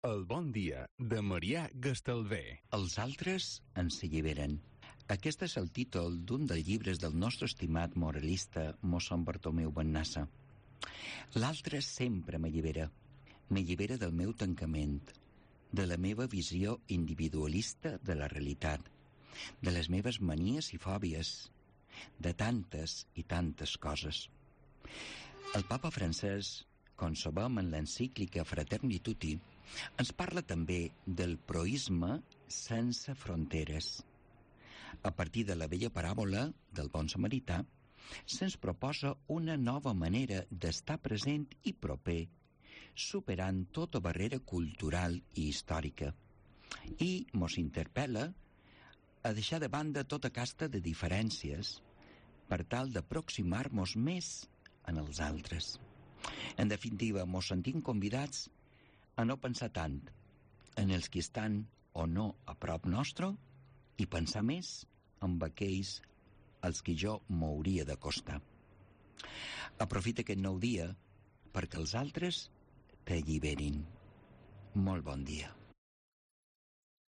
El bon dia de Marià Gastalver. Els altres ens alliberen. Aquest és el títol d'un dels llibres del nostre estimat moralista mossèn Bartomeu Bennassa. L'altre sempre m'allibera. M'allibera del meu tancament, de la meva visió individualista de la realitat, de les meves manies i fòbies, de tantes i tantes coses. El papa francès, com sabem en l'encíclica Fratelli Tutti, ens parla també del proisme sense fronteres. A partir de la vella paràbola del bon samarità, se'ns proposa una nova manera d'estar present i proper, superant tota barrera cultural i històrica. I mos interpel·la a deixar de banda tota casta de diferències per tal d'aproximar-nos més en els altres. En definitiva, mos sentim convidats a no pensar tant en els que estan o no a prop nostre i pensar més en aquells als que jo m'hauria d'acostar. Aprofita aquest nou dia perquè els altres t'alliberin. Molt bon dia.